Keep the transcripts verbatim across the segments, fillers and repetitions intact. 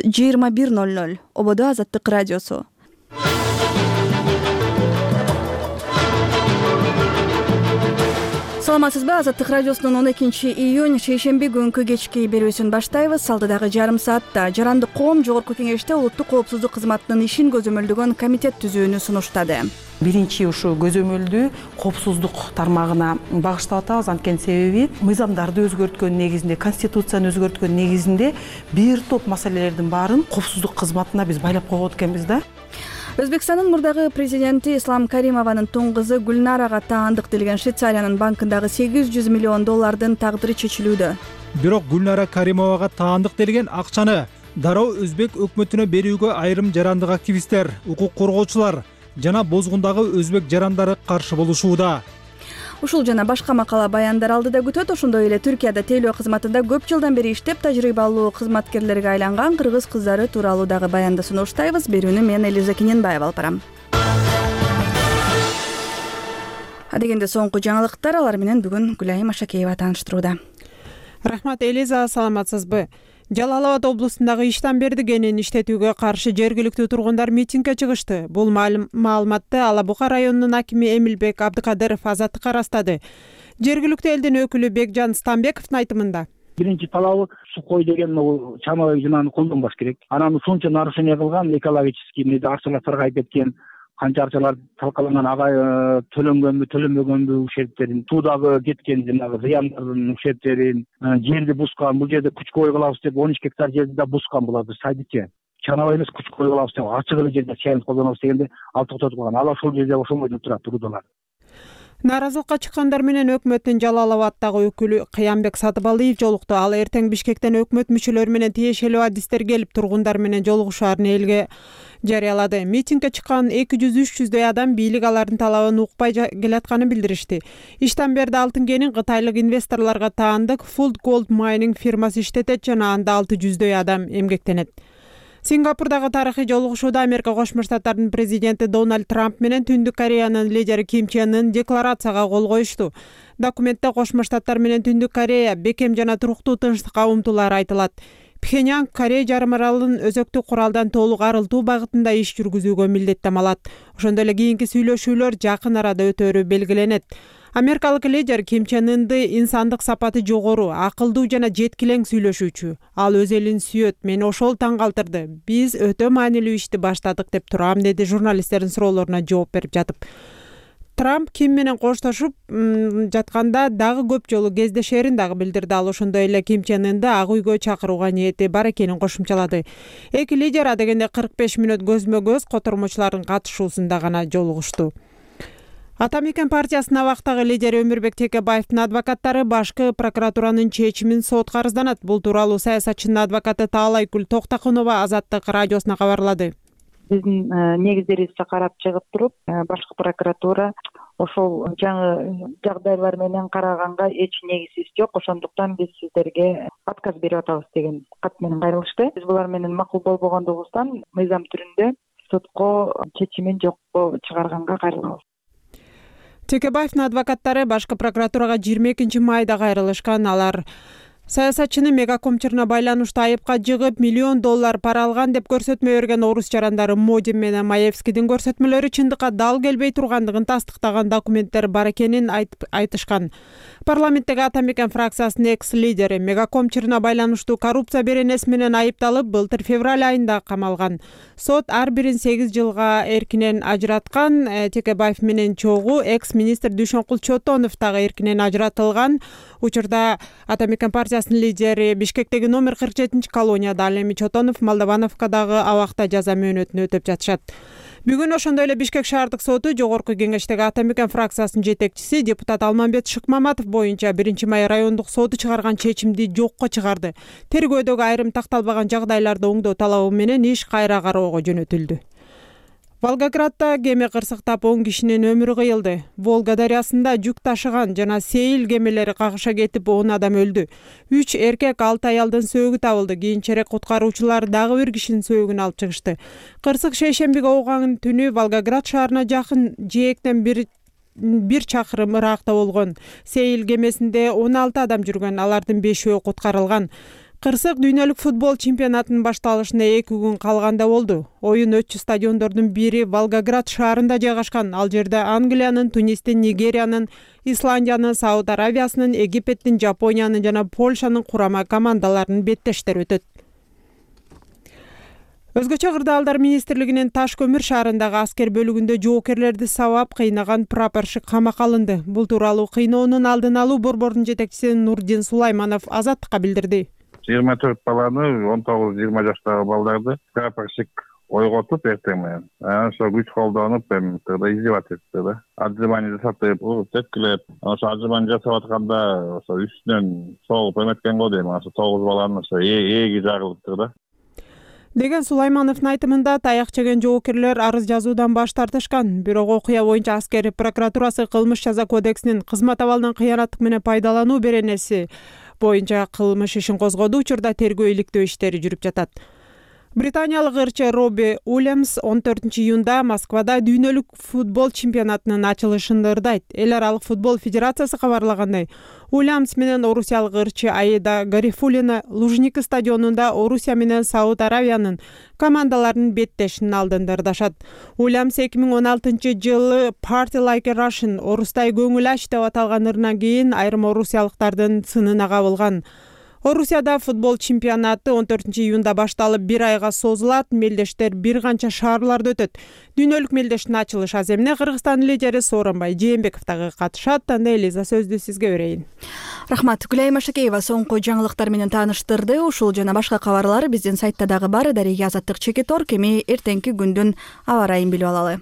жыйырма бир ноль ноль ободо Азаттык радиосу. Саламатсызбы? Азаттык радиосунун он экинчи июнь шейшемби күнкү кечки берүүсүн баштайбыз. Алдыдагы жарым саатта Жарандык коом Жогорку Кеңеште улуттук коопсуздук кызматынын ишин көзөмөлдөгөн комитет түзүүнү сунуштады. Биринчи ушул көзөмөлдү коопсуздук тармагына багыштап атабыз. Анткени себеби мыйзамдарды өзгөрткөн негизинде, конституцияны өзгөрткөн негизинде бир топ маселелердин баарын коопсуздук кызматына биз байлап койгон экенбиз да. Өзбекстандын мурдагы президенти Ислам Каримованын тун кызы Гүлнарага таандык делген Швейцариянын банкындагы сегиз жүз миллион доллардын тагдыры чечилүүдө. Бирок Гүлнара Каримовага таандык делген акчаны дароо өзбек өкмөтүнө берүүгө айрым жарандык активисттер, укук коргоочулар жана бозгундагы өзбек жарандары каршы болушууда. Ушул жана башка макала баяндар алдыда күтөт. Ошондой эле Түркияда тейлөө кызматында көп жылдан бери иштеп тажрыйбалуу кызматкерлерге айланган кыргыз кыздары тууралуу дагы баянды сунуштайбыз. Берүүнү мен Элиза Кененбаева алып барам. Адегенде соңку жаңылыктар, алар менен бүгүн Гүлайым Ашакеева тааныштырууда. Рахмат Элиза, саламатсызбы? Жалал Абад облусундагы Иштанберди кенин иштетүүгө каршы жергиликтүү тургундар митингге чыгышты. Бул маалыматты Ала Бука районунун акими Эмилбек Абдыкадыров Азаттыкка ырастады. Жергиликтүү элдин өкүлү Бекжан Стамбековдун айтымында биринчи талабы сухой деген чамабай жынааны колдонбош керек. Анан ушунча нарушение кылган экологический арчалар саргайып кеткен, канча арчалар талкаланган, ага төлөнгөнбү төлөнбөгөнбү ушерптерин, суудагы кеткен жанагы зыяндардын ушерптерин, жерди бускан, бул жерде күчкө ой кылабыз деп он үч гектар жерди да бускан буларды сайдычы. Чанабай эмес, күчкө ой кылабыз деп ачык эле жерде чайын колдонобуз дегенде алып токтотуп калган. Ал ошол жерде ошомой турат турдулар. Нааразылыкка чыккандар менен өкмөттүн Жалал Абаддагы өкүлү Кыямбек Сатыбалиев жолукту. Ал эртең Бишкектен өкмөт мүчөлөрү менен тиешелүү адистер келип тургундар менен жолугушаарын элге жарыялады. Митингге чыккан эки жүз үч жүздөй адам бийлик алардын талабын укпай келатканын билдиришти. Иштанберди алтын кенин кытайлык инвесторлорго таандык Food Gold Mining фирмасы иштетет жана анда алты жүздөй адам эмгектенет. Сингапурдагы тарыхый жолугушууда Америка Кошмо Штаттарынын президенти Дональд Трамп менен Түндүк Кореянын лидери Ким Чен Ын декларацияга кол коюшту. Документте Кошмо Штаттар менен Түндүк Корея бекем жана туруктуу тынчтыкка умтулары айтылат. Пхеньян Корея жарым аралын өзөктүк куралдан толук арылтуу багытында иш жүргүзүүгө милдеттем алат. Ошондой эле кийинки сүйлөшүүлөр жакын арада өтөөрү белгиленет. Америкалык лидер Ким Чен Ынды инсандык сапаты жогору, акылдуу жана жеткилең сүйлөшүүчү. Ал өз элин сүйөт, мени ошол таң калтырды. Биз өтө маанилүү ишти баштадык деп турам, деди журналисттердин суроолоруна жооп берип жатып. Трамп Ким менен коштошуп жатканда дагы көп жолу кездешерин дагы билдирди. Ал ошондой эле Ким Чен Ынды ак үйгө чакырууга ниети бар экенин кошумчалады. Эки лидер адегенде кырк беш мүнөт көзмө-көз котормочулардын катышуусунда гана жолугушту. Ата Мекен партиясынын абактагы лидери Өмүрбек Текебаевдин адвокаттары башкы прокуратуранын чечимин сотко арызданат. Бул тууралуу саясатчынын адвокаты Таалайгүл Токтокунова Азаттык радиосуна кабарлады. Биздин негиздерибизди карап чыгып туруп, башкы прокуратура ошол жаңы жагдайлар менен караганга эч негизибиз жок, ошондуктан биз сиздерге отказ берип атабыз деген кат менен кайрылышты. Биз булар менен макул болбогондугубуздан мыйзам түрүндө сотко чечимин жокко чыгарганга кайрылабыз. Текебаевдин адвокаттары башкы прокуратурага жыйырма экинчи майда кайрылышкан. Алар саясатчыны мегакомчуруна байланыштуу айыпка жыгып, миллион доллар пара алган деп көрсөтмө берген орус жарандары Модин менен Маевскийдин көрсөтмөлөрү чындыкка дал келбей тургандыгын тастыктаган документтер бар экенин айтышкан. Парламенттеги Ата Мекен фракциясынын экс-лидери мегакомчуруна байланыштуу коррупция беренеси менен айыпталып, былтыр февраль айында камалган. Сот ар бирин сегиз жылга эркинен ажыраткан. Текебаев менен чогуу экс-министр Дүйшөнкул Чотонов дагы эркинен ажыратылган. Учурда Ата Мекен партиясынын лидери Бишкектеги номер кырк жетинчи колонияда, ал эми Чотонов Молдовановкадагы абакта жаза мөөнөтүн өтөп жатышат. Бүгүн ошондой эле Бишкек шаардык соту Жогорку Кеңештеги Ата Мекен фракциясынын жетекчиси депутат Алмамбет Шыкмаматов боюнча биринчи май райондук соту чыгарган чечимди жокко чыгарды. Тергөөдөгү айрым такталбаган жагдайларды оңдоо талабы менен иш кайра кароого жөнөтүлдү. Волгоградда кеме кырсыктап он кишинин өмүрү кыйылды. Волга дарыясында жүк ташыган жана сейил кемелери кагыша кетип он адам өлдү. үч эркек, алты аялдын сөөгү табылды. Кийинчерээк куткаруучулар дагы бир кишинин сөөгүн алып чыгышты. Кырсык шейшембиге ооган түнү Волгоград шаарына жакын жээктен бир бир чакырым ыракта болгон. Сейил кемесинде он алты адам жүргөн, алардын бешөө куткарылган. Кырсык дүйнөлүк футбол чемпионатынын башталышына эки күн калганда болду. Оюн өтчү стадиондордун бири Волгоград шаарында жайгашкан. Ал жерде Англиянын, Тунистин, Нигериянын, Исландиянын, Сауд Аравиясынын, Египеттин, Жапониянын жана Польшанын курама командаларынын беттештери өтөт. Өзгөчө кырдаалдар министрлигинин Таш көмүр шаарындагы аскер бөлүгүндө жоокерлерди сабап кыйнаган прапорщик камакка алынды. Бул тууралуу кыйноонун алдын алуу борборунун жетекчиси Нурдин Сулайманов Азаттыкка билдирди. жыйырма төрт баланы, он тогуз жыйырма жаштагы балдарды прапорщик ойготуп эртең менен анан ошо күч колдонуп эми тыгда издевать этти да. Отжимание жасатып, тепкилеп, ошо отжимание жасап атканда ошо үстүнөн согуп эметкен го дейм. Ошо тогуз баланын ошо ээги жагылыптыр да. Деген Сулаймановдун айтымында таяк жеген жоокерлер арыз жазуудан баш тартышкан. Бирок окуя боюнча аскер прокуратурасы кылмыш жаза кодексинин кызмат абалынан кыянаттык менен пайдалануу беренеси боюнча кылмыш ишин козгоду. Учурда тергөө иликтөө иштери жүрүп жатат. Британиялык ырчы Робби Уильямс он төртүнчү июнда Москвада дүйнөлүк футбол чемпионатынын ачылышында ырдайт. Эл аралык футбол федерациясы кабарлагандай, Уильямс менен орусиялык ырчы Аида Гарифуллина Лужники стадионунда Орусия менен Сауд Аравиянын командаларынын беттешинин алдында ырдашат. Уильямс эки миң он алтынчы жылы Party Like a Russian орустай көңүл ач деп аталган ырынан кийин айрым орусиялыктардын сынына кабылган. Орусияда футбол чемпионаты он төртүнчү июнда башталып бир айга созулат. Мелдештер бир канча шаарларда өтөт. Дүйнөлүк мелдештин ачылыш аземине Кыргызстандын лидери Сооронбай Жээнбеков дагы катышат. Анда Элиза сөздү сизге берейин. Рахмат. Гүлай Машакеева соңку жаңылыктар менен тааныштырды. Ушул жана башка кабарлар биздин сайтта дагы бар. Дареге Азаттык Чекитор. Кеми эртеңки күндүн аба ырайын билип алалы.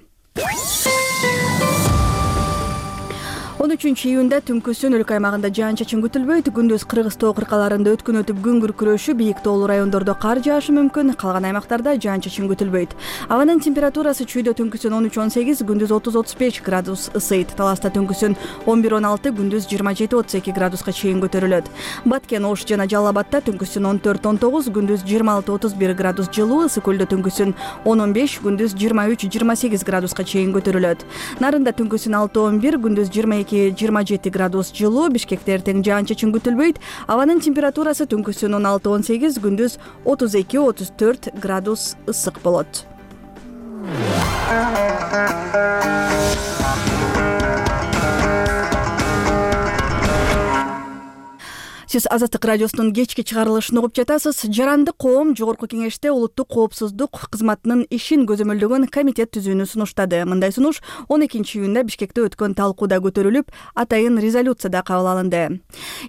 он үчүнчү июнда түнкүсүн өлкө аймагында жаан-чачын күтүлбөйт. Күндүз Кыргыз тоо кыркаларында өткөн өтүп күн күркүрөшү, бийик тоолуу райондордо кар жаашы мүмкүн. Калган аймактарда жаан-чачын күтүлбөйт. Абанын температурасы чүйдө түнкүсүн он үч он сегиз, күндүз отуз отуз беш градус ысыйт. Таласта түнкүсүн он бир он алты, күндүз жыйырма жети отуз эки градуска чейин көтөрүлөт. Баткен, Ош жана Жалал Абадта түнкүсүн он төрт он тогуз, күндүз жыйырма алты отуз бир градус жылуу. Ысык көлдө түнкүсүн он он беш, күндүз жыйырма үч жыйырма сегиз градуска чейин көтөрүлөт. Нарында түнкүсүн алты он бир, күндүз жыйырма эки жыйырма жети градус жылуу. Бишкекте эртең жаан-чачын күтүлбөйт. Абанын температурасы түнкүсүн он алты он сегиз, күндүз отуз эки отуз төрт градус ысык болот. Сиз Азаттык радиосунун кечки чыгарылышын угуп жатасыз. Жаранды коом Жогорку кеңеште улуттук коопсуздук кызматынын ишин көзөмөлдөгөн комитет түзүүнү сунуштады. Мындай сунуш он экинчи июнда Бишкекте өткөн талкууда көтөрүлүп, атайын резолюцияда кабыл алынды.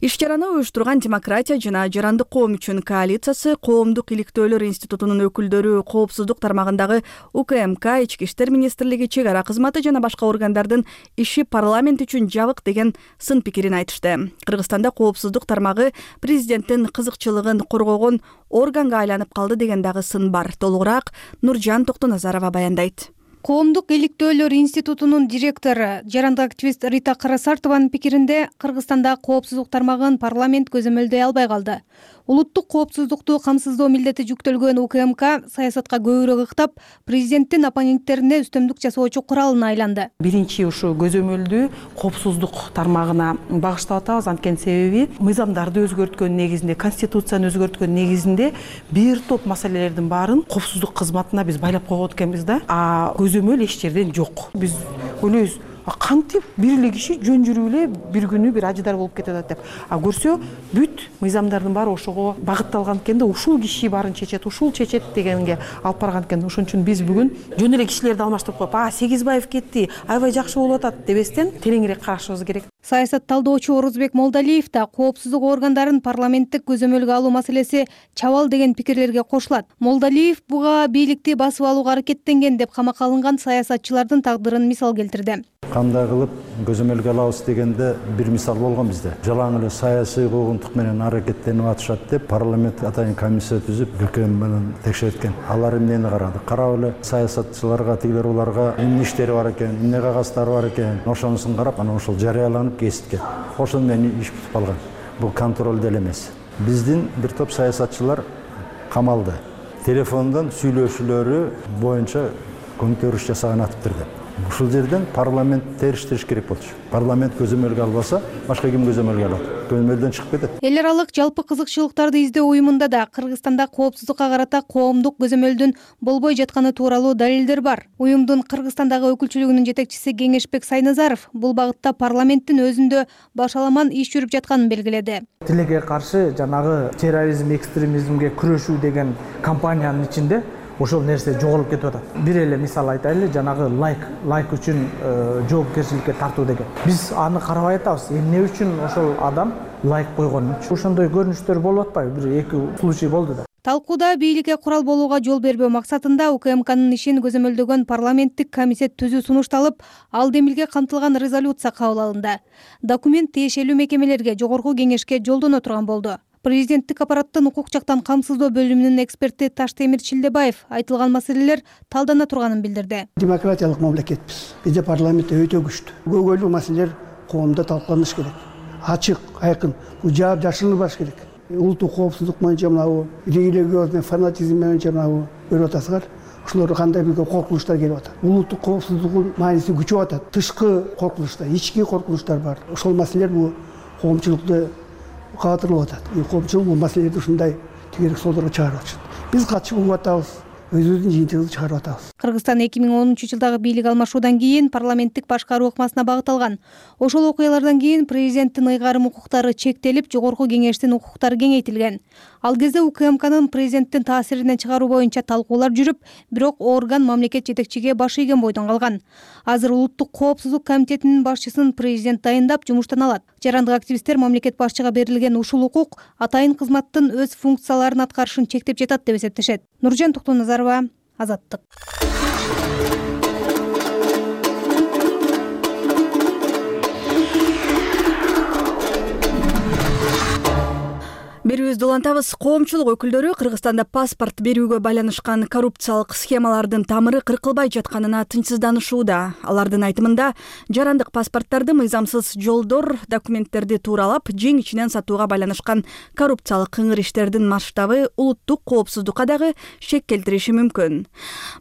Иш-чараны уюштурган Демократия жана Жаранды коом үчүн коалициясы, Коомдук иликтөөлөр институтунун өкүлдөрү, коопсуздук тармагындагы УКМК, Ички иштер министрлиги, чек ара кызматы жана башка органдардын иши парламент үчүн жабык деген сын пикирин айтышты. Кыргызстанда коопсуздук тармагы президенттин кызыкчылыгын коргогон органга айланып калды деген дагы сын бар. Толугураак Нуржан Токтоназарова баяндайт. Коомдук иликтөөлөр институтунун директору, жаранды активист Рита Карасартованын пикиринде, Кыргызстанда коопсуздук тармагын парламент көзөмөлдөй албай калды. Улуттук коопсуздукту камсыздоо милдети жүктөлгөн УКМК саясатка көбүрөөк ыктап, президенттин оппоненттерине үстөмдүк жасоочу куралына айланды. Биринчи ушу көзөмөлдү коопсуздук тармагына багыштап атабыз. Анткени себеби мыйзамдарды өзгөрткөн негизинде, конституцияны өзгөрткөн негизинде бир топ маселелердин баарын коопсуздук кызматына биз байлап койгон экенбиз да. А көзөмөл эч жерден жок. Биз ойлойбуз, кантип бир эле киши жөн жүрүп эле бир күнү бир ажыдар болуп кетип атат деп. А көрсө бүт мыйзамдардын баары ошого багытталган экен да, ушул киши баарын чечет, ушул чечет дегенге алып барган экен. Ошон үчүн биз бүгүн жөн эле кишилерди алмаштырып коюп, а Сегизбаев кетти, аябай жакшы болуп атат дебестен тереңирээк карашыбыз керек. Саясат талдоочу Орузбек Молдалиев да коопсуздук органдарын парламенттик көзөмөлгө алуу маселеси чабал деген пикирлерге кошулат. Молдалиев буга бийликти басып алууга аракеттенген деп камакка алынган саясатчылардын тагдырын мисал келтирди. Кандай кылып көзөмөлгө алабыз дегенде бир мисал болгон бизде. Жалаң эле саясий куугунтук менен аракеттенип атышат деп парламент атайын комиссия түзүп өлкөм менен текшерткен. Алар эмнени карады? Карап эле саясатчыларга, тигилер уларга эмне иштери бар экен, эмне кагаздары бар экен, ошонусун карап, анан ошол жарыяланып кесипкен. Ошон менен иш бүтүп калган. Бул контроль деле эмес. Биздин бир топ саясатчылар камалды. Телефондон сүйлөшүүлөрү боюнча көмүктөрүш жасаган атыптыр деп. Ушул жерден парламент териштириш керек болчу. Парламент көзөмөлгө албаса, башка ким көзөмөлгө алат? Көзөмөлдөн чыгып кетет. Эл аралык жалпы кызыкчылыктарды издөө уюмунда да Кыргызстанда коопсуздукка карата коомдук көзөмөлдүн болбой жатканы тууралуу далилдер бар. Уюмдун Кыргызстандагы өкүлчүлүгүнүн жетекчиси Кеңешбек Сайназаров бул багытта парламенттин өзүндө башаламан иш жүрүп жатканын белгиледи. Тилекке каршы жанагы терроризм, экстремизмге күрөшүү деген кампаниянын ичинде ошол нерсе жоголуп кетип атат. Бир эле мисал айтайлы, жанагы лайк, лайк үчүн жоопкерчиликке тартуу деген. Биз аны карабай атабыз. Эмне үчүн ошол адам лайк койгон? Ошондой көрүнүштөр болуп атпайбы? Бир эки случай болду да. Талкууда бийликке курал болууга жол бербөө максатында УКМКнын ишин көзөмөлдөгөн парламенттик комитет түзүү сунушталып, ал демилге камтылган резолюция кабыл алынды. Документ тиешелүү мекемелерге, жогорку кеңешке жолдоно турган болду. Президенттик аппараттын укук жактан камсыздоо бөлүмүнүн эксперти Таштемир Чилдебаев айтылган маселелер талдана турганын билдирди. Демократиялык мамлекетпиз. Бизде парламент өтө күчтүү. Көйгөйлүү маселелер коомдо талкууланыш керек. Ачык, айкын, бул жаап жашырылбаш керек. Улуттук коопсуздук боюнча мынабу религиозный фанатизм боюнча мынабу көрүп атасыңар. Ушулар кандай бир коркунучтар келип атат. Улуттук коопсуздуктун мааниси күчөп атат. Тышкы коркунучтар, ички коркунучтар бар. Ошол маселелер бул коомчулукту каатырылып атат. Коомчулук бул маселелерди ушундай тегерек содорго чыгарып атышат. Биз катышып болуп атабыз. Өзүбүздүн жыйынтыгыбызды чыгарып атабыз. Кыргызстан эки миң онунчу жылдагы бийлик алмашуудан кийин парламенттик башкаруу ыкмасына багытталган. Ошол окуялардан кийин президенттин ыйгарым укуктары чектелип, жогорку кеңештин укуктары кеңейтилген. Ал кезде УКМКнын президенттин таасиринен чыгаруу боюнча талкуулар жүрүп, бирок орган мамлекет жетекчиге баш ийген бойдон калган. Азыр улуттук коопсуздук комитетинин башчысын президент дайындап жумуштан алат. Жарандык активисттер мамлекет башчыга берилген ушул укук атайын кызматтын өз функцияларын аткарышын чектеп жатат деп эсептешет. Нуржан Токтоназарова, Азаттык. Берүүбүздү улантабыз. Коомчулук өкүлдөрү Кыргызстанда паспорт берүүгө байланышкан коррупциялык схемалардын тамыры кыркылбай жатканына тынчсызданышууда. Алардын айтымында, жарандык паспорттарды мыйзамсыз жолдор, документтерди тууралап, жең ичинен сатууга байланышкан коррупциялык кыңыр иштердин масштабы улуттук коопсуздукка дагы шек келтириши мүмкүн.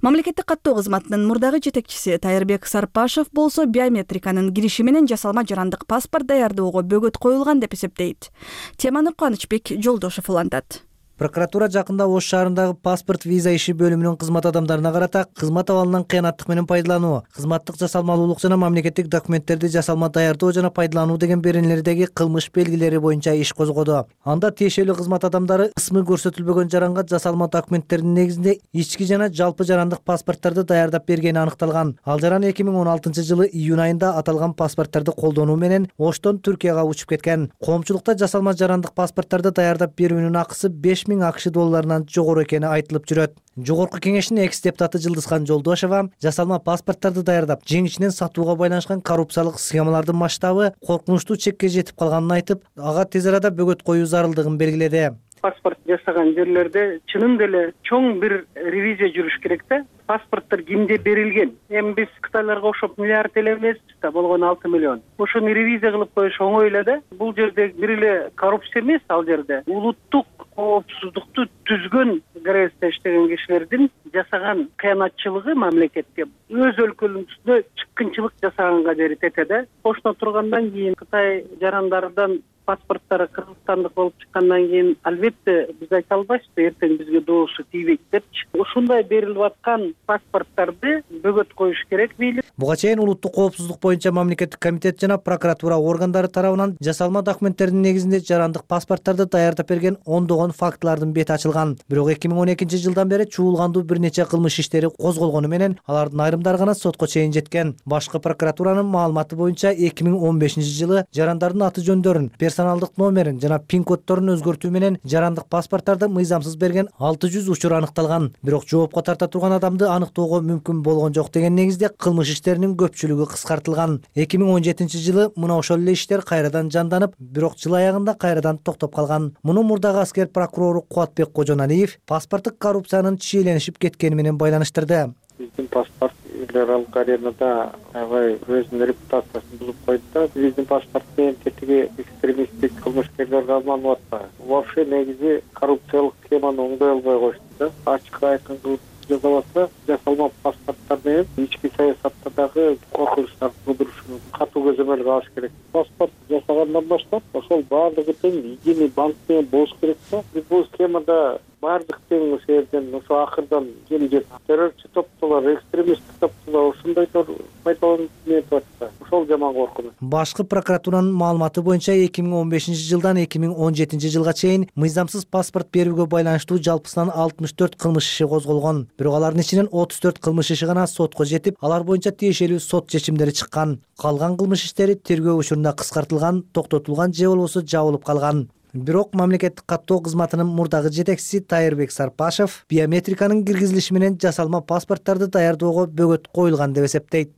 Мамлекеттик каттоо кызматынын мурдагы жетекчиси Тайырбек Сарпашев болсо биометриканын кириши менен жасалма жарандык паспорт даярдоого бөгөт коюлган деп эсептейт. Теманы Кубанычбек Жолдошов улантат. Прокуратура жакында Ош шаарындагы паспорт виза иши бөлүмүнүн кызмат адамдарына карата кызмат абалынан кыянаттык менен пайдалануу, кызматтык жасалмалуулук жана мамлекеттик документтерди жасалма даярдоо жана пайдалануу деген беренелердеги кылмыш белгилери боюнча иш козгоду. Анда тиешелүү кызмат адамдары ысмы көрсөтүлбөгөн жаранга жасалма документтердин негизинде ички жана жалпы жарандык паспорттарды даярдап бергени аныкталган. Ал жаран эки миң он алтынчы жылы июнь айында аталган паспорттарды колдонуу менен Оштон Түркияга учуп кеткен. Коомчулукта жасалма жарандык паспорттарды даярдап берүүнүн акысы беш миң акш долларынан жогору экени айтылып жүрөт. Жогорку кеңештин экс депутаты Жылдызхан Жолдошова жасалма паспорттарды даярдап, жең ичинен сатууга байланышкан коррупциялык схемалардын масштабы коркунучтуу чекке жетип калганын айтып, ага тез арада бөгөт коюу зарылдыгын белгиледи. Паспорт жасаган жерлерде чынында эле чоң бир ревизия жүрүш керек да. Паспорттор кимде берилген? Эми биз Кытайларга окшоп миллиард эле эмеспиз да, болгону алты миллион. Ошону ревизия кылып коюш оңой эле да. Бул жерде бир эле коррупция эмес, ал жерде улуттук коопсуздукту түзгөн грезде иштеген кишилердин жасаган кыянатчылыгы мамлекетке өз өлкөлөрүндө чыккынчылык жасаганга жери тете да. Ошондо тургандан кийин Кытай жарандардан паспорттары кыргызстандык болуп чыккандан кийин албетте биз айта албайбыз, эртең бизге доосу тийбейт депчи. Ушундай берилип аткан паспорттарды бөгөт коюш керек бийлик. Буга чейин улуттук коопсуздук боюнча мамлекеттик комитет жана прокуратура органдары тарабынан жасалма документтердин негизинде жарандык паспорттарды даярдап берген ондогон фактылардын бети ачылган. Бирок эки миң он экинчи жылдан бери чуулгандуу бир нече кылмыш иштери козголгону менен алардын айрымдары гана сотко чейин жеткен. Башкы прокуратуранын маалыматы боюнча эки миң он бешинчи жылы жарандардын аты жөндөрүн, персоналдык номерин жана пин коддорун өзгөртүү менен жарандык паспорттарды мыйзамсыз берген алты жүз учур аныкталган. Бирок жоопко тарта турган адамды аныктоого мүмкүн болгон жок деген негизде кылмыш иштеринин көпчүлүгү кыскартылган. эки миң он жетинчи жылы мына ошол эле иштер кайрадан жанданып, бирок жыл аягында кайрадан токтоп калган. Муну мурдагы аскер прокурору Кубатбек Кожоналиев паспорттук коррупциянын чиеленишип кеткени менен байланыштырды. Биздин паспорт федералдык аренада аябай өзүнүн репутациясын бузуп койду да. Биздин паспорт менен тетиги экстремисттик кылмышкерлерге алынып атпайбы. Вообще негизи коррупциялык схеманы оңдой албай коюшту да. Ачык айкын кылып жасап атса, жасалма паспорттар менен ички саясатта дагы коркунучтар туудурушу мүмкүн. Катуу көзөмөлгө алыш керек. Паспорт жасагандан баштап ошол баардыгы тең единый банк менен болуш керек да. Бул схемада баардык тең ошол жерден ошо акырдан келе террорчу топтолор, экстремисттик топтолор ушундайдор пайдаланып нетип атса, ошол жаман коркунуч. Башкы прокуратуранын маалыматы боюнча эки миң он бешинчи жылдан эки миң он жетинчи жылга чейин мыйзамсыз паспорт берүүгө байланыштуу жалпысынан алтымыш төрт кылмыш иши козголгон. Бирок алардын ичинен отуз төрт кылмыш иши гана сотко жетип, алар боюнча тиешелүү сот чечимдери чыккан. Калган кылмыш иштери тергөө учурунда кыскартылган, токтотулган же болбосо жабылып калган. Бирок мамлекеттик каттоо кызматынын мурдагы жетекчиси Тайырбек Сарпашев биометриканын киргизилиши менен жасалма паспорттарды даярдоого бөгөт коюлган деп эсептейт.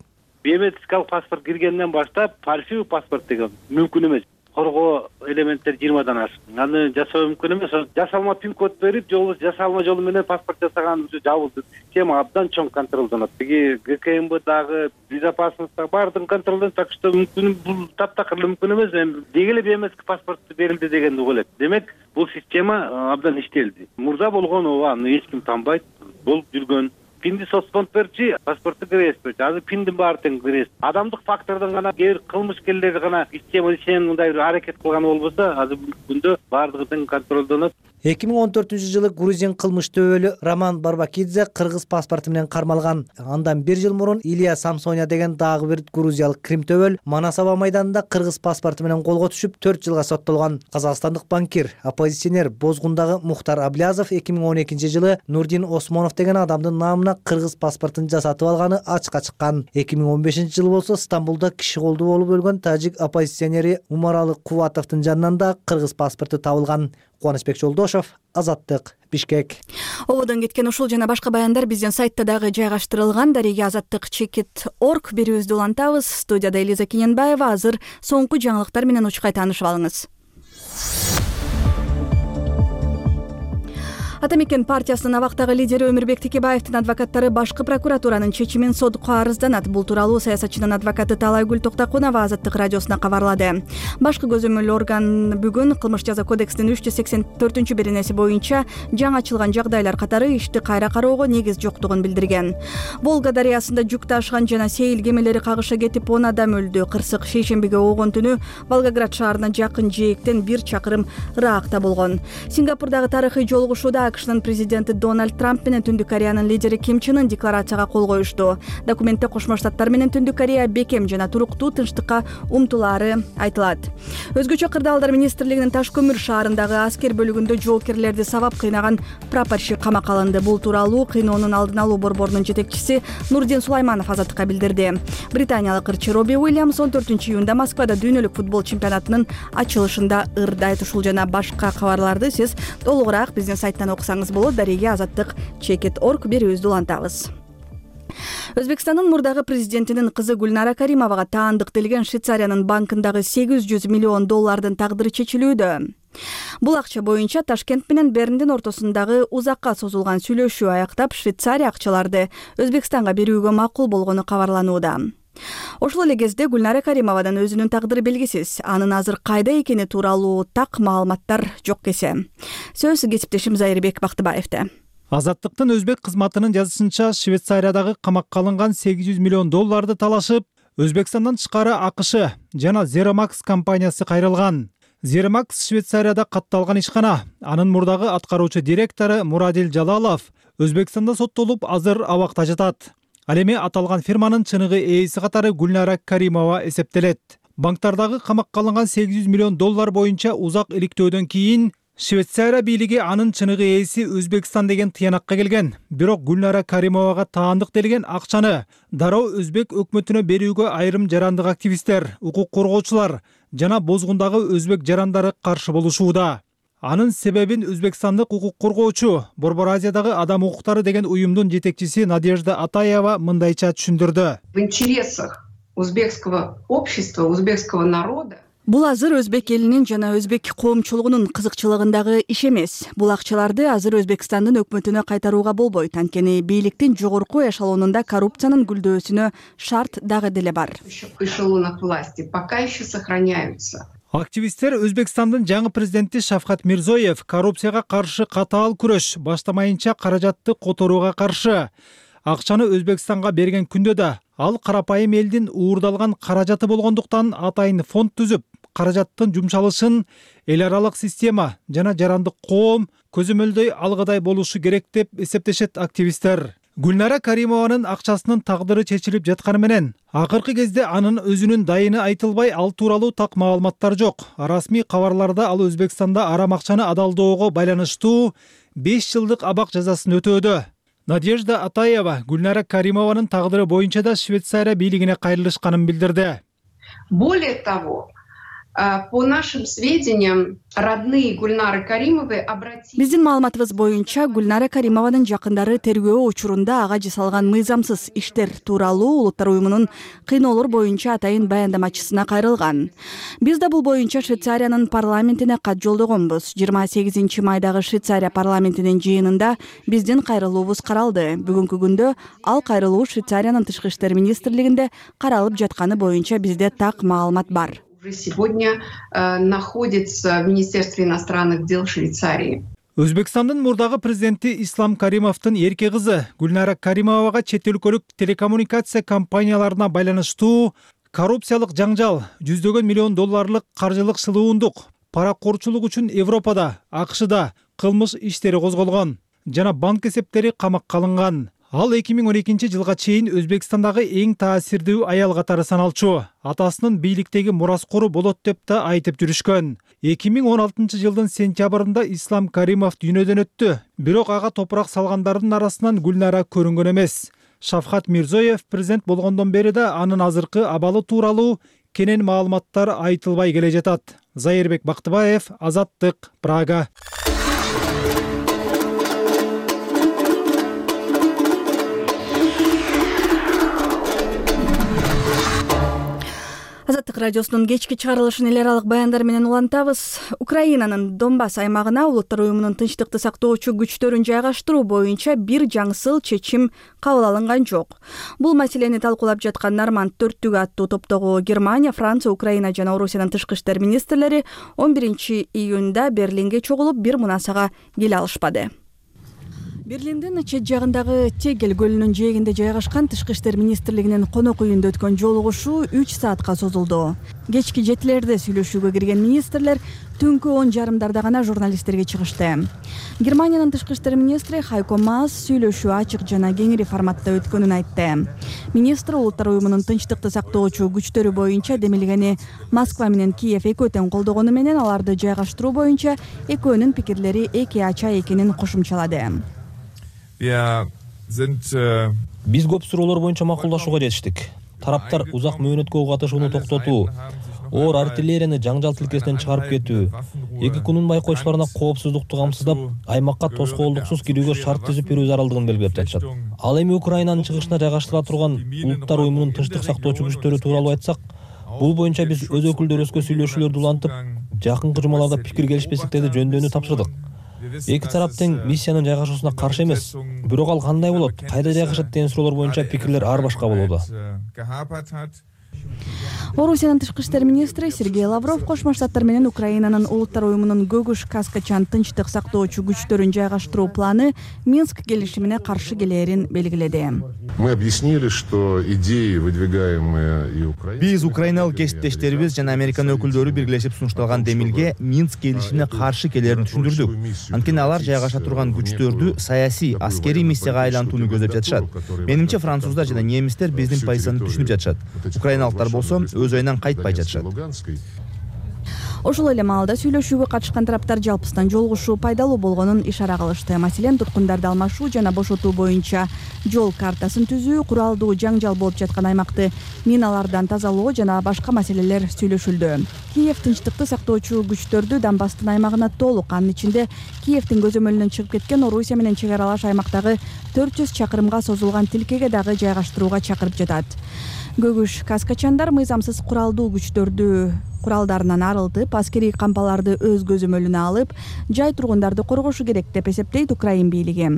Биометрикалык паспорт киргенден баштап фальшивый паспорт деген мүмкүн эмес. Коргоо элементтер жыйырмадан ашык. Аны жасоо мүмкүн эмес. Жасалма пин-код берип, же болбосо жасалма жолу менен паспорт жасаган жабылды. Тема абдан чоң контролдонот. Биги ГКМБ дагы, безопасность дагы баардыгын контролдонот. Так что мүмкүн бул таптакыр мүмкүн эмес. Эми деги эле биометрик паспорт берилди дегенди угулат. Демек, бул система абдан иштелди. Мурда болгон ооба, аны эч ким танбайт. Болуп жүргөн. Пинди соцфонд берчи, паспорту киресиз берчи. Азыр пиндин баары тең киресиз. Адамдык фактордон гана кээ бир кылмышкерлер гана система ишенен мындай бир аракет кылган болбосо, азыр бүгүнкү күндө баардыгы тең контролдонот. эки миң он төртүнчү жылы грузин кылмыш төбөлү Роман Барбакидзе кыргыз паспорту менен кармалган. Андан бир жыл мурун Илья Самсоня деген дагы бир грузиялык крим төбөл Манасаба майданында кыргыз паспорту менен колго түшүп төрт жылга соттолгон. Казакстандык банкир, оппозиционер Бозгундагы Мухтар Аблязов эки миң он экинчи жылы Нурдин Осмонов деген адамдын намына кыргыз паспортун жасатып алганы ачыкка чыккан. эки миң он бешинчи жылы болсо Стамбулда киши колдуу болуп өлгөн тажик оппозиционери Умаралы Кубатовдун жанынан да кыргыз паспорту табылган. Кубанычбек Жолдошов, Азаттык, Бишкек. Ободон кеткен ушул жана башка баяндар биздин сайтта дагы жайгаштырылган. Дарыга азаттык чекит точка орг берүүбүздү улантабыз. Студияда Элиза Кененбаева. Азыр соңку жаңылыктар менен учкай таанышып алыңыз. Ата мекен партиясынын абактагы лидери Өмүрбек Текебаевдин адвокаттары башкы прокуратуранын чечимин сотко арызданат. Бул тууралуу саясатчынын адвокаты Талайгүл Токтакунова Азаттык радиосуна кабарлады. Башкы көзөмөл орган бүгүн кылмыш жаза кодексинин үч жүз сексен төртүнчү беренеси боюнча жаңы ачылган жагдайлар катары ишти кайра кароого негиз жоктугун билдирген. Волга дарыясында жүк ташыган жана сейил кемелери кагыша кетип он адам өлдү. Кырсык шейшембиге оогон түнү Волгоград шаарына жакын жээктен бир чакырым ыраакта болгон. Сингапурдагы тарыхый жолугушууда АКШнын президенти Дональд Трамп менен Түндүк Кореянын лидери Ким Чен Ын декларацияга кол коюшту. Документте Кошмо Штаттар менен Түндүк Корея бекем жана туруктуу тынчтыкка умтулаары айтылат. Өзгөчө кырдаалдар министрлигинин Таш көмүр шаарындагы аскер бөлүгүндө жоокерлерди сабап кыйнаган прапорщик камакка алынды. Бул тууралуу кыйноонун алдын алуу борборунун жетекчиси Нурдин Сулайманов Азаттыкка билдирди. Британиялык ырчы Робби Уильямс он төртүнчү июнда Москвада дүйнөлүк футбол чемпионатынын ачылышында ырдайт. Ушул жана башка кабарларды сиз толугураак биздин сайттан окусаңыз болот. Дарыга азаттык чекит точка орг берүүбүздү улантабыз. Өзбекстандын мурдагы президентинин кызы Гүлнара Каримовага таандык делген Швейцариянын банкындагы сегиз жүз миллион доллардын тагдыры чечилүүдө. Бул акча боюнча Ташкент менен Берндин ортосундагы узакка созулган сүйлөшүү аяктап Швейцария акчаларды Өзбекстанга берүүгө макул болгону кабарланууда. Ошол эле кезде Гүлнара Каримовадан өзүнүн тагдыры белгисиз. Анын азыр кайда экени тууралуу так маалыматтар жок кесе. Сөз кесиптешим Зайырбек Бактыбаевде. Азаттыктын өзбек кызматынын жазышынча Швейцариядагы камакка алынган сегиз жүз миллион долларды талашып, Өзбекстандан тышкары АКШ жана Zeramax компаниясы кайрылган. Zeramax Швейцарияда катталган ишкана. Анын мурдагы аткаруучу директору Мурадил Жалалов Өзбекстанда соттолуп, азыр абакта жатат. Ал эми аталган фирманын чыныгы ээси катары Гүлнара Каримова эсептелет. Банктардагы камакка алынган сегиз жүз миллион доллар боюнча узак иликтөөдөн кийин Швейцария бийлиги анын чыныгы ээси Өзбекстан деген тыянакка келген. Бирок Гүлнара Каримовага таандык делген акчаны дароо өзбек өкмөтүнө берүүгө айрым жарандык активисттер, укук коргоочулар жана Бозгундагы өзбек жарандары каршы болушууда. Анын себебин Өзбекстандык укук коргоочу Борбор Азиядагы адам укуктары деген уюмдун жетекчиси Надежда Атаева мындайча түшүндүрдү. В интересах узбекского общества, узбекского народа. Бул азыр өзбек элинин жана өзбек коомчулугунун кызыкчылыгындагы иш эмес. Бул акчаларды азыр Өзбекстандын өкмөтүнө кайтарууга болбойт. Анткени бийликтин жогорку эшелонунда коррупциянын гүлдөөсүнө шарт дагы деле бар. Эшелонах власти пока еще сохраняются. Активисттер Өзбекстандын жаңы президенти Шавкат Мирзоев коррупцияга каршы катаал күрөш баштамайынча каражатты которууга каршы. Акчаны Өзбекстанга берген күндө да ал карапайым элдин уурдалган каражаты болгондуктан атайын фонд түзүп, каражаттын жумшалышын эл аралык система жана жарандык коом көзөмөлдөй алгыдай болушу керек деп эсептешет активисттер. Гүлнара Каримованын акчасынын тагдыры чечилип жатканы менен акыркы кезде анын өзүнүн дайыны айтылбай, ал тууралуу так маалыматтар жок. Расмий кабарларда ал Өзбекстанда арам акчаны адалдоого байланыштуу беш жылдык абак жазасын өтөөдө. Надежда Атаева Гүлнара Каримованын тагдыры боюнча да Швейцария бийлигине кайрылышканын билдирди. Более того, по нашим сведениям, родные Гульнары Каримовой обратились... Биздин маалыматыбыз боюнча Гүлнара Каримованын жакындары тергөө учурунда ага жасалган мыйзамсыз иштер тууралуу Улуттар уюмунун кыйноолор боюнча атайын баяндамачысына кайрылган. Биз да бул боюнча Швейцариянын парламентине кат жолдогонбуз. жыйырма сегизинчи майдагы Швейцария парламентинин жыйынында биздин кайрылуубуз каралды. Бүгүнкү күндө ал кайрылуу Швейцариянын тышкы иштер министрлигинде каралып жатканы боюнча бизде так маалымат бар. Сегодня э, находится в Министерстве иностранных дел Швейцарии. Өзбекстандын мурдагы президенти Ислам Каримовдун эрке кызы Гүлнара Каримовага чет өлкөлүк телекоммуникация компанияларына байланыштуу коррупциялык жаңжал, жүздөгөн миллион долларлык каржылык шылуундук, паракорчулук үчүн Европада, АКШда кылмыш иштери козголгон жана банк эсептери камакка алынган. Ал эки миң он экинчи жылга чейин Өзбекстандагы эң таасирдүү аял катары саналчу. Атасынын бийликтеги мураскору болот деп да айтып жүрүшкөн. эки миң он алтынчы жылдын сентябрында Ислам Каримов дүйнөдөн өттү. Бирок ага топурак салгандардын арасынан Гүлнара көрүнгөн эмес. Шавкат Мирзоев президент болгондон бери да анын азыркы абалы тууралуу кенен маалыматтар айтылбай келе жатат. Зайырбек Бактыбаев, Азаттык, Прага. Азаттык радиосунун кечки чыгарылышын эл аралык баяндар менен улантабыз. Украинанын Донбасс аймагына Улуттар уюмунун тынчтыкты сактоочу күчтөрүн жайгаштыруу боюнча бир жаңсыл чечим кабыл алынган жок. Бул маселени талкуулап жаткан Норманд төрттүгү аттуу топтогу Германия, Франция, Украина жана Орусиянын тышкы иштер министрлери он биринчи июнда Берлинге чогулуп бир мунасага келе алышпады. Берлиндин чет жагындагы Тегел көлүнүн жээгинде жайгашкан тышкы иштер министрлигинин конок үйүндө өткөн жолугушуу үч саатка созулду. Кечки жетилерде сүйлөшүүгө кирген министрлер түнкү он жарымдарда гана журналисттерге чыгышты. Германиянын тышкы иштер министри Хайко Маас сүйлөшүү ачык жана кеңири форматта өткөнүн айтты. Министр Улуттар уюмунун тынчтыкты сактоочу күчтөрү боюнча демилгени Москва менен Киев экөө тең колдогону менен аларды жайгаштыруу боюнча экөөнүн пикирлери эки ача экенин кошумчалады. Биз көп суроолор боюнча макулдашууга жетиштик. Тараптар узак мөөнөткө катышууну токтотуу, оор артиллерияны жаңжал тилкесинен чыгарып кетүү, эки күнүн байкоочуларына коопсуздукту камсыздап, аймакка тоскоолдуксуз кирүүгө шарт түзүп берүү зарылдыгын белгилеп жатышат. Ал эми Украинанын чыгышына жайгаштырыла турган Улуттар уюмунун тынчтык сактоочу күчтөрү тууралуу айтсак, бул боюнча биз өз өкүлдөрүбүзгө сүйлөшүүлөрдү улантып, жакынкы жумаларда пикир келишпестиктерди жөндөөнү тапшырдык. Эки тарап тең миссиянын жайгашуусуна каршы эмес, бирок ал кандай болот, кайда жайгашат деген суроолор боюнча пикирлер ар башка болууда. Орусиянын тышкы иштер министри Сергей Лавров Кошмо Штаттар менен Украинанын Улуттар уюмунун Көгүш Каскачан тынчтык сактоочу күчтөрүн жайгаштыруу планы Минск келишимине каршы келээрин белгиледи. Мы объяснили, что идеи, выдвигаемые и Украиной... Биз украиналык кесиптештерибиз жана Американ өкүлдөрү биргелешип сунушталган демилге Минск келишимине каршы келээрин түшүндүрдүк. Анткени алар жайгаша турган күчтөрдү саясий, аскерий миссияга айлантууну көздөп жатышат. Менимче француздар жана немистер биздин позицияны түшүнүп жатышат. Украиналыктар болсо өз оюнан кайтпай жатышат. Ошол эле маалда сүйлөшүүгө катышкан тараптар жалпысынан жолугушуу пайдалуу болгонун ишара кылышты. Маселен, туткундарды алмашуу жана бошотуу боюнча жол картасын түзүү, куралдуу жаңжал болуп жаткан аймакты миналардан тазалоо жана башка маселелер сүйлөшүлдү. Киев тынчтыкты сактоочу күчтөрдү Донбасстын аймагына толук, анын ичинде Киевдин көзөмөлүнөн чыгып кеткен Орусия менен чек аралаш аймактагы төрт жүз чакырымга созулган тилкеге дагы жайгаштырууга чакырып жатат. Көгүш каскачандар мыйзамсыз куралдуу күчтөрдү куралдарынан арылтып, аскерий кампаларды өз көзөмөлүнө алып, жай тургундарды коргошу керек деп эсептейт Украин бийлиги.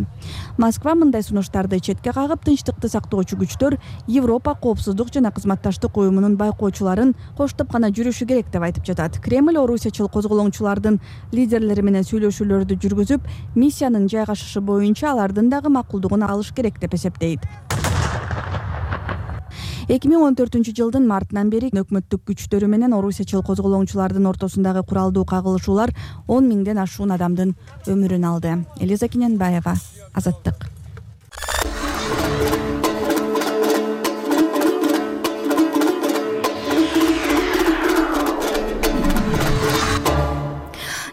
Москва мындай сунуштарды четке кагып, тынчтыкты сактоочу күчтөр Европа коопсуздук жана кызматташтык уюмунун байкоочуларын коштоп гана жүрүшү керек деп айтып жатат. Кремль орусиячыл козголоңчулардын лидерлери менен сүйлөшүүлөрдү жүргүзүп, миссиянын жайгашышы боюнча алардын дагы макулдугун алыш керек деп эсептейт. эки миң он төртүнчү жылдын мартынан бери өкмөттүк күчтөрү менен орусиячыл козголоңчулардын ортосундагы куралдуу кагылышуулар он миңден ашуун адамдын өмүрүн алды. Элиза Кененбаева, Азаттык.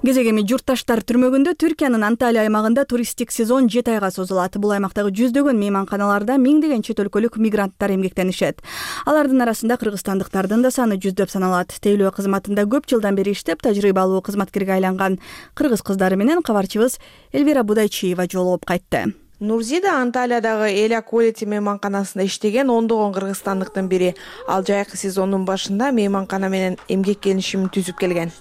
Кезегеми журтташтар түрмөгүндө Түркиянын Анталия аймагында туристтик сезон жети айга созулат. Бул аймактагы жүздөгөн мейманканаларда миңдеген чет өлкөлүк мигранттар эмгектенишет. Алардын арасында кыргызстандыктардын да саны жүздөп саналат. Тейлөө кызматында көп жылдан бери иштеп, тажрыйбалуу кызматкерге айланган кыргыз кыздары менен кабарчыбыз Элвира Будайчиева жолугуп кайтты. Нурзида Анталиядагы Эля Quality мейманканасында иштеген ондогон кыргызстандыктын бири. Ал жайкы сезондун башында мейманкана менен эмгек келишимин түзүп келген.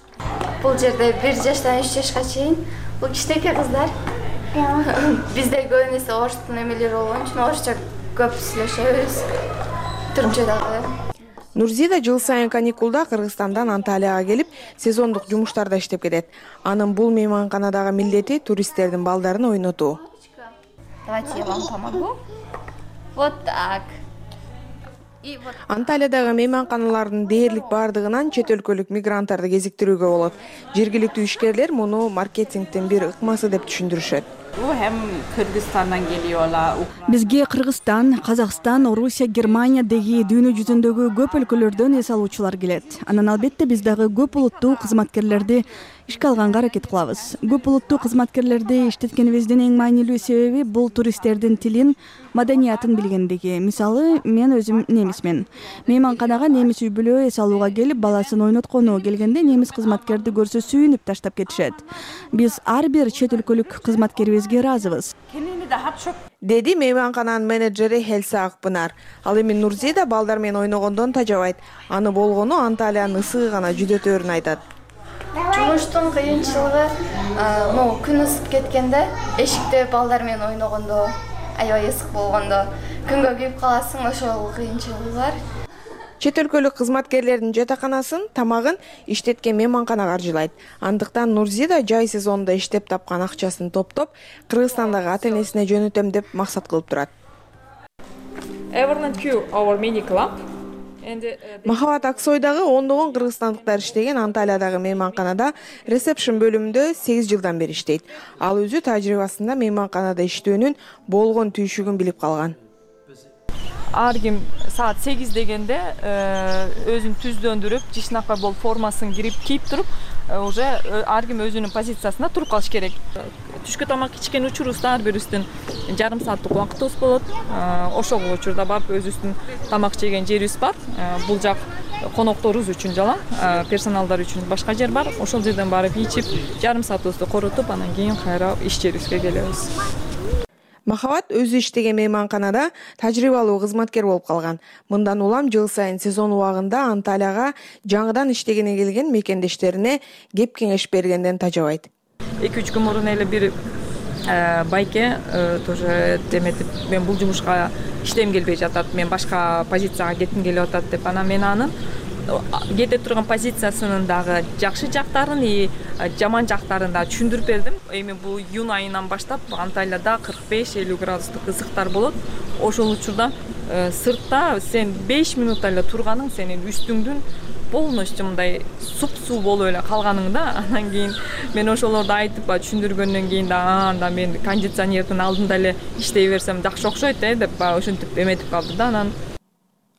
Бул жерде бир жаштан үч жашка чейин бул кичинекей кыздар. Бизде көбүнесе орустун эмелери болгон үчүн орусча көп сүйлөшөбүз. Түркчө дагы. Нурзида жыл сайын каникулда Кыргызстандан Анталияга келип, сезондук жумуштарда иштеп кетет. Анын бул мейманканадагы милдети туристтердин балдарын ойнотуу. Давайте я вам помогу. Вот так. Анталиядагы мейманканалардын дээрлик бардыгынан чет өлкөлүк мигранттарды кезиктирүүгө болот. Жергиликтүү ишкерлер муну маркетингдин бир ыкмасы деп түшүндүрүшөт. Бизге Кыргызстан, Казакстан, Орусия, Германия деги дүйнө жүзүндөгү көп өлкөлөрдөн эс алуучулар келет. Анан албетте биз дагы көп улуттуу кызматкерлерди ишке алганга аракет кылабыз. Көп улуттуу кызматкерлерди иштеткенибиздин эң маанилүү себеби бул туристтердин тилин, маданиятын билгендиги. Мисалы, мен өзүм немисмен. Мейманканага немис үй бүлө эс алууга келип, баласын ойноткону келгенде немис кызматкерди көрсө сүйүнүп таштап кетишет. Биз ар бир чет өлкөлүк кызматкерибизге ыраазыбыз. Деди мейманкананын менеджери Хелса Акпынар. Ал эми Нурзида балдар менен ойногондон тажабайт. Аны болгону Анталиянын ысыгы гана жүдөтөөрүн айтат. Жумуштун кыйынчылыгы, могу күн ысып кеткенде, эшикте балдар менен ойногондо, аябай ысык болгондо, күнгө күйүп каласың, ошол кыйынчылыгы бар. Чет өлкөлүк кызматкерлердин жатаканасын, тамагын иштеткен мейманкана каржылайт. Андыктан Нурзида жай сезонунда иштеп тапкан акчасын топтоп, Кыргызстандагы ата-энесине жөнөтөм деп максат кылып турат. Махабат Аксойдагы ондогон кыргызстандыктар иштеген Анталиядагы мейманканада ресепшн бөлүмүндө сегиз жылдан бери иштейт. Ал өзү тажрыйбасында мейманканада иштөөнүн болгон түйшүгүн билип калган. Ар ким саат сегиз дегенде өзүн түздөндүрүп, жишнакай болуп формасын кирип кийип туруп, уже ар ким өзүнүн позициясына туруп калыш керек. Түшкө тамак ичкен учурубузда ар бирибиздин жарым сааттык убактыбыз болот. Ошол учурда барып өзүбүздүн тамак жеген жерибиз бар. Бул жак конокторубуз үчүн жалаң, персоналдар үчүн башка жер бар. Ошол жерден барып ичип, жарым саатыбызды коротуп, анан кийин кайра иш жерибизге келебиз. Махабат өзү иштеген мейманканада тажрыйбалуу кызматкер болуп калган. Мындан улам жыл сайын сезон убагында Анталияга жаңыдан иштегене келген мекендештерине кеп кеңеш бергенден тажабайт. эки үч күн мурун эле бир байке тоже деметип, мен бул жумушка иштегим келбей жатат, мен башка позицияга кетким келип атат деп, анан мен анын кете турган позициясынын дагы жакшы жактарын и жаман жактарын да түшүндүрүп бердим. Эми бул июнь айынан баштап Анталияда кырк беш элүү градустук ысыктар болот. Ошол учурда сыртта сен беш минутта эле турганың сенин үстүңдүн полностью мындай суп-суу болуп эле калганың да. Анан кийин мен ошолорду айтып түшүндүргөндөн кийин да анда мен кондиционердин алдында эле иштей берсем жакшы окшойт э деп ошентип эметип калды да. Анан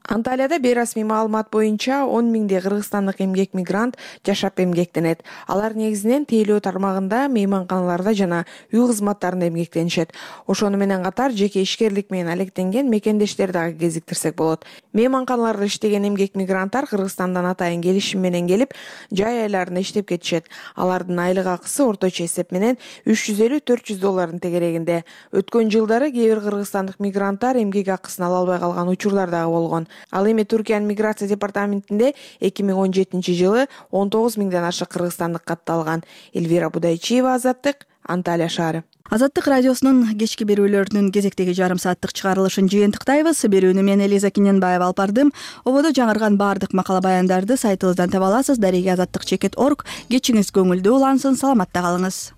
Анталияда бейрасмий маалымат боюнча он миңдей кыргызстандык эмгек мигрант жашап эмгектенет. Алар негизинен тейлөө тармагында, мейманканаларда жана үй кызматтарында эмгектенишет. Ошону менен катар жеке ишкерлик менен алектенген мекендештер дагы кезиктирсек болот. Мейманканаларда иштеген эмгек мигранттар Кыргызстандан атайын келишим менен келип, жай айларында иштеп кетишет. Алардын айлык акысы орточо эсеп менен үч жүз элүү төрт жүз доллардын тегерегинде. Өткөн жылдары кээ бир кыргызстандык мигранттар эмгек акысын ала албай калган учурлар дагы болгон. Ал эми Түркиянын миграция департаментинде эки миң он жетинчи жылы он тогуз миңден ашык кыргызстандык катталган. Элвира Будайчиева, Азаттык, Анталия шаары. Азаттык радиосунун кечки берүүлөрүнүн кезектеги жарым сааттык чыгарылышын жыйынтыктайбыз. Берүүнү мен Элиза Киненбаева алып бардым. Ободо жаңырган баардык макала баяндарды сайтыбыздан таба аласыз. Дареги азаттык чекит точка орг. Кечиңиз көңүлдүү улансын, саламатта калыңыз.